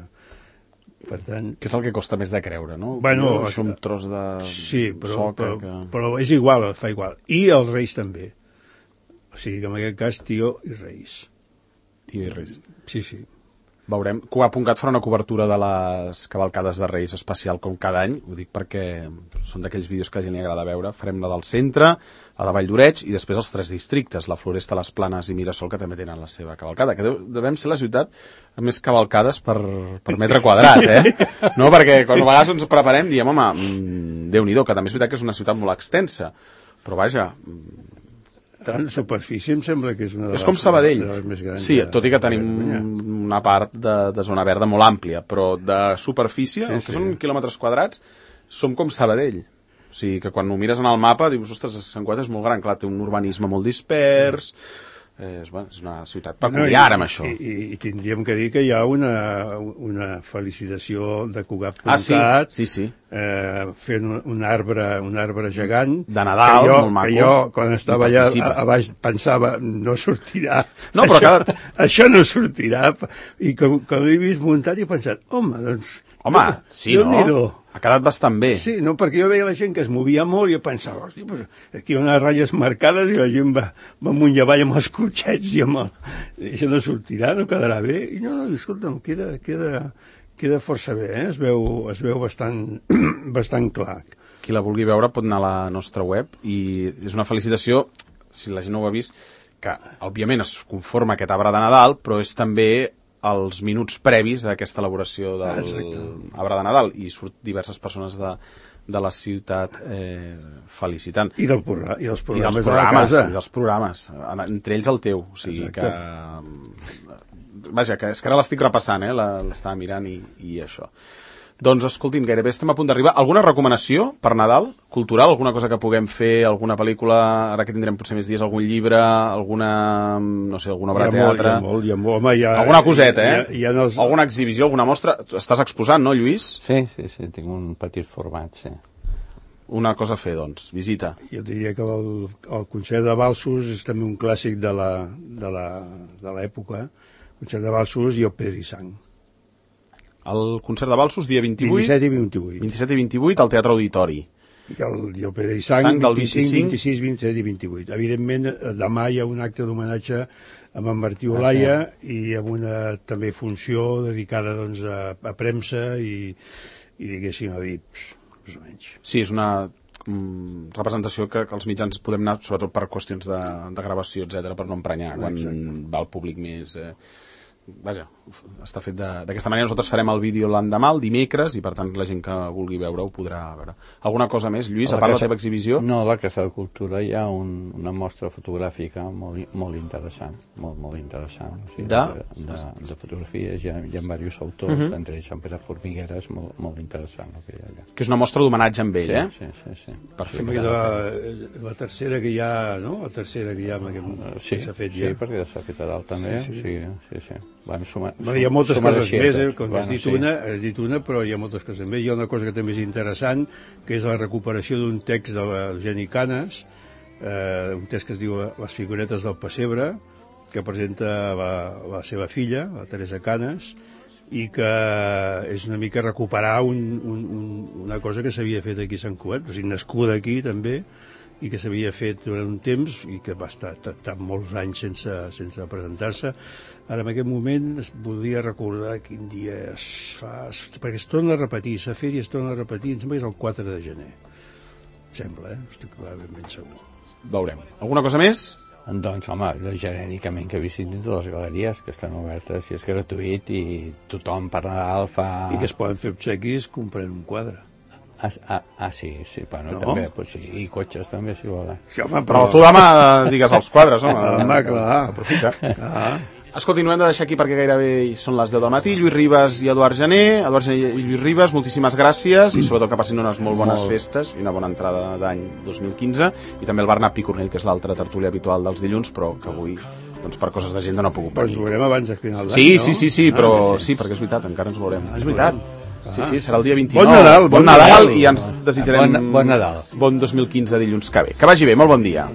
Per tant... Que és el que costa més de creure, no? Bueno, és un tros de sí, però, soca però, que... però és igual, fa igual. I els Reis també. O sigui que en aquest cas tió i Reis. Tió i Reis. Sí, sí. Veurem. Cugat.cat farà una cobertura de les cavalcades de Reis especial com cada any, ho dic perquè són d'aquells vídeos que a la gent li agrada veure. Farem la del centre, la de Vall d'Oreig i després els tres districtes, la Floresta, les Planes i Mirasol, que també tenen la seva cavalcada, que devem ser la ciutat amb més cavalcades per, per metre quadrat, eh? No, perquè quan a vegades ens preparem diem, home, mmm, Déu-n'hi-do, que també és veritat que és una ciutat molt extensa, però vaja... En superfície em sembla que és una de les, és com Sabadell, de les més grans. Sí, tot i que tenim una part de, de zona verda molt àmplia, però de superfície, sí, que sí. Són quilòmetres quadrats, som com Sabadell. O sigui, que quan ho mires en el mapa dius, ostres, Sant Cugat és molt gran, clar, té un urbanisme molt dispers... És, bueno, és una ciutat peculiar amb això. I, i, I tindríem que dir que hi ha una, una felicitació de Cugat.cat, ah, sí, sí, sí. Eh, fent un, un, arbre, un arbre gegant. De Nadal, jo, molt maco. Que jo, quan estava allà a, a baix, pensava, no sortirà. No, però això, cada... això no sortirà. I com, com l'he vist muntat, he pensat, home, doncs... Home, sí, no? Déu-n'hi-do. Ha quedat bastant bé. Sí, no, perquè jo veia la gent que es movia molt i jo pensava, hosti, pues, aquí hi ha unes ratlles marcades i la gent va, va amunt i avall amb els cotxets i amb el... I això no sortirà, no quedarà bé. I no, no, escolta'm, queda, queda, queda força bé, eh? Es veu, es veu bastant, bastant clar. Qui la vulgui veure pot anar a la nostra web i és una felicitació, si la gent no ho ha vist, que òbviament es conforma aquest arbre de Nadal, però és també els minuts previs a aquesta elaboració del ah, arbre de Nadal i surt diverses persones de, de la ciutat eh, felicitant. I, del programa, i dels programes, I dels programes, de la casa. I dels programes, entre ells el teu. O sigui exacte. que... Vaja, que és que ara l'estic repassant, eh? L'estava mirant i, i això. Doncs, escolti'm, gairebé estem a punt d'arribar. Alguna recomanació per Nadal? Cultural? Alguna cosa que puguem fer? Alguna pel·lícula? Ara que tindrem potser més dies, algun llibre? Alguna, no sé, alguna obra de teatre? Hi ha molt, hi ha molt. Home, hi ha, alguna coseta, eh? Hi ha, hi ha els... Alguna exhibició, alguna mostra? Estàs exposant, no, Lluís? Sí, sí, sí, tinc un petit format, sí. Una cosa a fer, doncs, visita. Jo diria que el, el concert de Balsos és també un clàssic de la, de la, de l'època. Concert de Balsos i el Pedra i Sang. El concert de Balsos, dia vint-i-vuit... vint-i-set i vint-i-vuit. vint-i-set i vint-i-vuit, al Teatre Auditori. I el, i el Pedra i Sang, Sang del vint-i-cinc, vint-i-sis, vint-i-set i vint-i-vuit. Evidentment, demà hi ha un acte d'homenatge amb en Martí Olaya okay. i amb una també funció dedicada doncs, a, a premsa i, i diguéssim a V I Ps, més o menys. Sí, és una mm, representació que, que els mitjans podem anar, sobretot per qüestions de, de gravació, etcètera, per no emprenyar, quan exacte. Va el públic més... Eh, vaja, està fet d'aquesta manera. Nosaltres farem el vídeo l'endemà, el dimecres, i per tant la gent que vulgui veure ho podrà veure. Alguna cosa més, Lluís, a, a part de la teva exhibició? No, a la Casa de Cultura hi ha un, una mostra fotogràfica molt, molt interessant, molt, molt interessant. O sigui, de? De, de, de fotografies, hi ha, hi ha diversos autors, uh -huh. entre ells en Pere Formigueres, molt, molt interessant el que hi ha allà. Que és una mostra d'homenatge amb ell, sí, eh? Sí, sí, sí. Perfecte. Sí, la, la tercera que hi ha, no? La tercera que hi ha amb aquest, uh, sí, que s'ha fet sí, ja. Sí, perquè s'ha fet a dalt també, sí, sí, sí. sí, sí. Van sumar, bueno, hi ha moltes coses més, eh? Com bueno, has dit, sí. una, has dit una, però hi ha moltes coses més. Hi ha una cosa que també és interessant, que és la recuperació d'un text de l'Eugeni Canes, eh, un text que es diu Les figuretes del pessebre, que presenta la, la seva filla, la Teresa Canes, i que és una mica recuperar un, un, un, una cosa que s'havia fet aquí a Sant Cugat, o sigui, nascuda aquí també, i que s'havia fet durant un temps i que va estar, estar molts anys sense, sense presentar-se. Ara, en aquest moment, es voldria recordar quin dia es fa... Perquè es torna a repetir, s'ha fet i es torna a repetir, em sembla que és el quatre de gener. Em sembla, eh? Estic ben, ben segur. Veurem. Alguna cosa més? Doncs, home, genèricament que visitin totes les galeries que estan obertes i és gratuït i tothom per Nadal fa... I que es poden fer obsequis comprant un quadre. Ah, ah, ah sí, sí, bueno, no? També, pues sí, i cotxes també, si volen. Sí, home, però tu demà digues els quadres, home. Home, clar. Aprofita. Ah. Escolti, no hem de deixar aquí perquè gairebé són les deu del matí. Lluís Ribas i Eduard Gené. Eduard Gené i Lluís Ribas, moltíssimes gràcies i sobretot que passin unes molt bones molt. festes i una bona entrada d'any dos mil quinze. I també el Bernat Picornell, que és l'altre tertúlia habitual dels dilluns, però que avui, doncs, per coses d'agenda no ha pogut venir. Però ens veurem abans del final d'any, sí, no? Sí, sí, sí, però ah, sí. sí, perquè és veritat, encara ens veurem. Ah, és veritat. Ah. Sí, sí, serà el dia vint-i-nou. Bon Nadal, bon, bon Nadal, Nadal. I ens desitjarem bon, bon Nadal. Bon dos mil quinze dilluns que ve. Que vagi bé, molt bon dia.